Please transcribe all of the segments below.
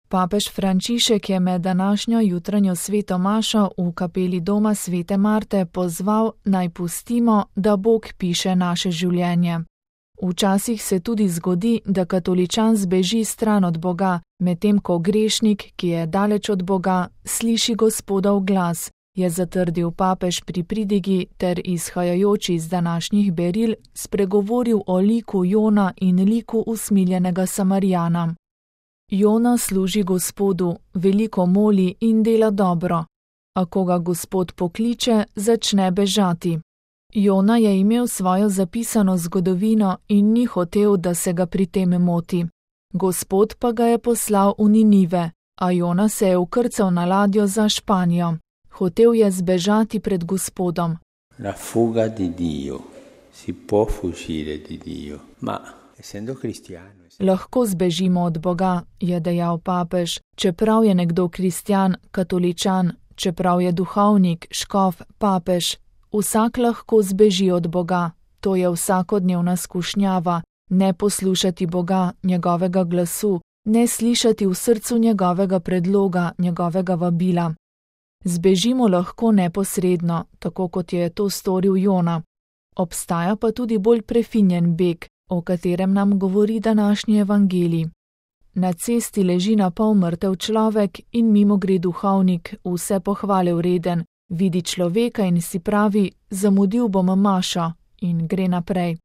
Papež Frančišek je med današnjo jutranjo sveto mašo v kapeli doma svete Marte pozval, naj pustimo, da Bog piše naše življenje. Včasih se tudi zgodi, da katoličan zbeži stran od Boga, medtem ko grešnik, ki je daleč od Boga, sliši Gospodov glas, je zatrdil papež pri pridigi ter izhajajoč iz današnjih beril spregovoril o liku Jona in liku usmiljenega Samarijana. Jona služi Gospodu, veliko moli in dela dobro, a ko ga Gospod pokliče, začne bežati. Jona je imel svojo zapisano zgodovino in ni hotel, da se ga pri tem moti. Gospod pa ga je poslal v Ninive, a Jona se je vkrcal na ladjo za Španijo. Hotel je zbežati pred Gospodom. La fuga di Dio. Si può fuggire di Dio, ma essendo cristiano. Lahko zbežimo od Boga, je dejal papež, čeprav je nekdo kristjan, katoličan, čeprav je duhovnik, škof, papež. Vsak lahko zbeži od Boga, to je vsakodnevna skušnjava, ne poslušati Boga, njegovega glasu, ne slišati v srcu njegovega predloga, njegovega vabila. Zbežimo lahko neposredno, tako kot je to storil Jona. Obstaja pa tudi bolj prefinjen beg, o katerem nam govori današnji evangelij. Na cesti leži na pol mrtev človek in mimo gre duhovnik, vse pohvale vreden, vidi človeka in si pravi, zamudil bom mašo, in gre naprej.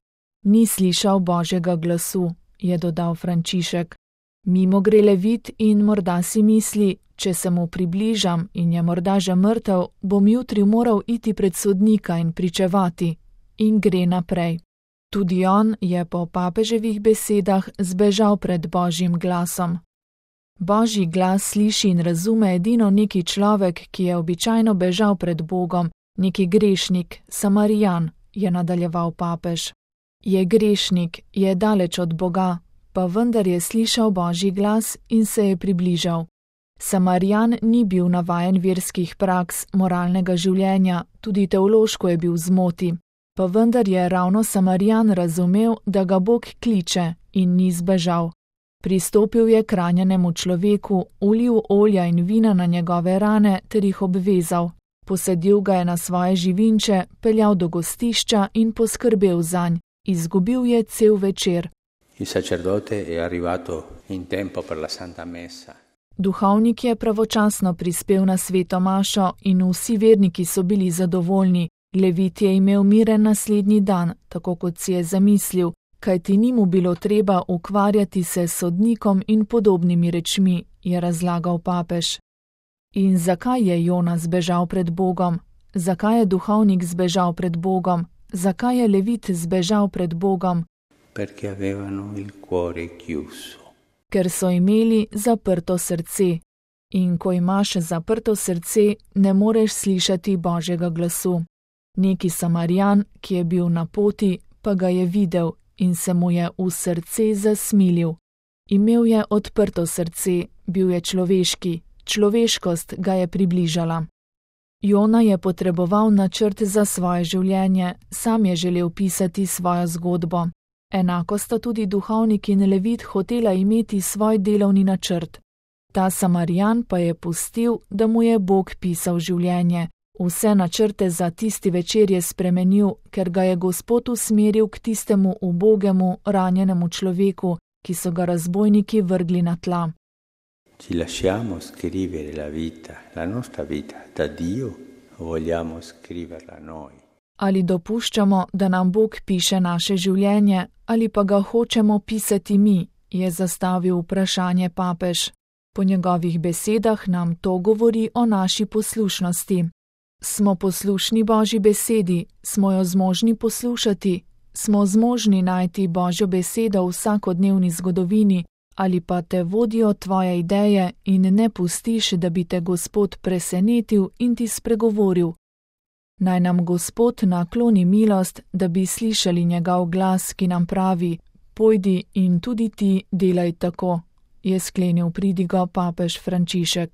Ni slišal Božjega glasu, je dodal Frančišek. Mimo gre levit in morda si misli, če se mu približam in je morda že mrtev, bom jutri moral iti pred sodnika in pričevati, in gre naprej. Tudi on je po papeževih besedah zbežal pred Božjim glasom. Božji glas sliši in razume edino neki človek, ki je običajno bežal pred Bogom, neki grešnik, Samarijan, je nadaljeval papež. Je grešnik, je daleč od Boga, pa vendar je slišal Božji glas in se je približal. Samarijan ni bil navajen verskih praks, moralnega življenja, tudi teološko je bil v zmoti, pa vendar je ravno Samarijan razumel, da ga Bog kliče in ni zbežal. Pristopil je k ranjenemu človeku, ulil olja in vina na njegove rane ter jih obvezal. Posadil ga je na svoje živinče, peljal do gostišča in poskrbel zanj. Izgubil je cel večer. Il sacerdote è arrivato in tempo per la Santa Messa. Duhovnik je pravočasno prispel na sveto mašo in vsi verniki so bili zadovoljni. Levit je imel miren naslednji dan, tako kot si je zamislil, kajti ni mu bilo treba ukvarjati se s sodnikom in podobnimi rečmi, je razlagal papež. In zakaj je Jona zbežal pred Bogom? Zakaj je duhovnik zbežal pred Bogom? Zakaj je levit zbežal pred Bogom? Perché avevano il cuore chiuso. Ker so imeli zaprto srce. In ko imaš zaprto srce, ne moreš slišati Božjega glasu. Neki Samarijan, ki je bil na poti, pa ga je videl in se mu je v srce zasmilil. Imel je odprto srce, bil je človeški, človeškost ga je približala. Jona je potreboval načrt za svoje življenje, sam je želel pisati svojo zgodbo. Enako sta tudi duhovnik in levit hotela imeti svoj delovni načrt. Ta Samarijan pa je pustil, da mu je Bog pisal življenje. Vse načrte za tisti večer je spremenil, ker ga je Gospod usmeril k tistemu ubogemu, ranjenemu človeku, ki so ga razbojniki vrgli na tla. Ci lasciamo scrivere la nostra vita da Dio, o vogliamo scriverla noi? Ali dopuščamo, da nam Bog piše naše življenje, ali pa ga hočemo pisati mi, je zastavil vprašanje papež. Po njegovih besedah nam to govori o naši poslušnosti. Smo poslušni Božji besedi, smo jo zmožni poslušati, smo zmožni najti Božjo besedo v vsakodnevni zgodovini, ali pa te vodijo tvoje ideje in ne pustiš, da bi te Gospod presenetil in ti spregovoril. Naj nam Gospod nakloni milost, da bi slišali njegov glas, ki nam pravi: pojdi in tudi ti delaj tako, je sklenil pridigo papež Frančišek.